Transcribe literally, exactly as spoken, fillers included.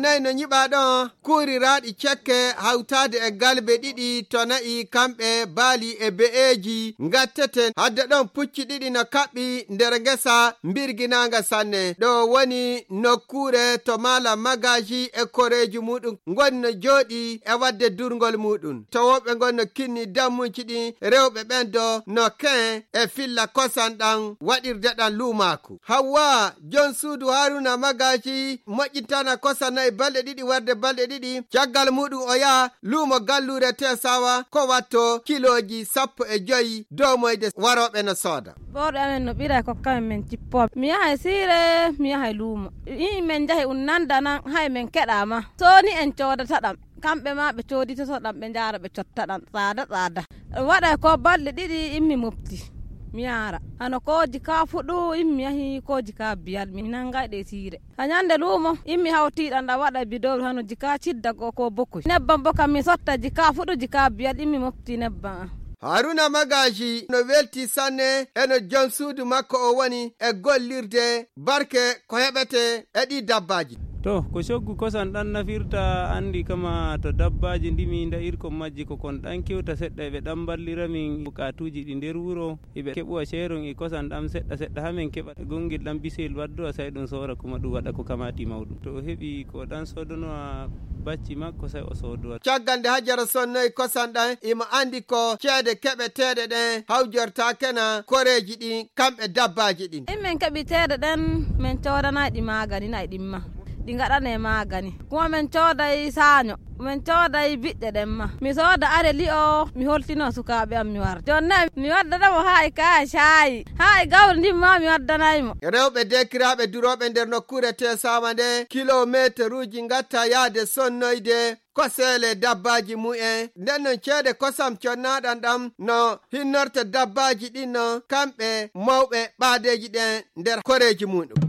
Nayi no nyiɓaa ɗon kuuriraaɗi cekke hawtaade e galbe ɗiɗi to na'i kamɓe baali e be'eeji ngatteten. Hadde ɗon pucci ɗiɗi no kaɓɓi nder ngesa mbirginaanga sanne. Ɗo woni nokkuure to maala magaji e koreeji muuɗum ngoni no jooɗi e waɗde durngol muuɗum. To woɓɓe ngon no kinni dammuji ɗin rewɓe ɓen do no ken e filla kosan ɗan waɗirde ɗan luumaaku. Hawwa, jon suudu Haruna Magaji moƴƴintana kosa nayi balɗe ɗiɗi warde balɗe ɗiɗi. Caggal muɗum o yaha luumo galluure Tesawa ko watto kilooji sappo e joyi domoyde warooɓe no sooda. Ɓorɗe amen no ɓira e kokkamen men cippooɓe. Mi yahay siire, mi yahay luumo. Yimɓe men njahi un nanda nan, hay men keɗa ma. Sooni en coodata ɗam. Kamɓe ma ɓe cooditoto ɗam, ɓe njaara ɓe cotta ɗam, tsaada, tsaada. Waɗay ko balɗe ɗiɗi, immi mofti. Mi yaara. Hano kooji ka fuɗu, immi yahi kooji ka biyal, mi nangay ɗe siire. Ha nyande luumo, immi hawti ɗam, ɗam waɗay bidowru hano jika cidda ko, ko bokoy. Nebbam bo kam mi sotta jika fuɗu, jika biyal, immi mofti nebbam am. Haruna Magaji no welti sanne e no jom suudu makko o woni e gollirde barke ko heɓete e ɗi dabbaaji. To, ko coggu kosan ɗan nafirta, anndi kama to dabbaaji ndimi nda irkon majji ko kon ɗan kewta seɗɗa, eɓe ɗan mballira min bukaatuuji ɗi nder wuro, eɓe keɓuwa ceeron e kosan ɗan seɗɗa seɗɗa, haa men keɓa gonngel ɗan bisel waddu, a say ɗum soora kuma ɗum waɗa ko kamaati mawɗum. To o heɓi ko ɗan soodonowa bacci makko, say o soodowa. Caggal nde Hajara sonnoyi kosan ɗan, imo anndi ko ceede keɓeteeɗe ɗen hawjortaakena koreeji ɗin, kamɓe dabbaaji ɗin. In men keɓi ceede ɗen, men coodanay ɗi maagani, nay ɗin ma. Ɗi ngaɗanee maagani. Kuma men cooday saaño, men cooday biɗɗe ɗen ma. Mi sooda are li'o, mi holtino sukaaɓe am mi warda. Jooni ne, mi waddana mo haa e kaaya caayi. Haa e gawri ndin ma mi waddanay mo. Rewɓe deekiraaɓe durooɓe nder nokkuure Tesawa nde, kilometeruuji ngatta yaade sonnoyde ko seele dabbaaji mu'en. Nden non ceede kosam connaaɗan ɗam no hinnorta dabbaaji ɗin non kamɓe mawɓe ɓaadeeji ɗen nder koreeji muɗum.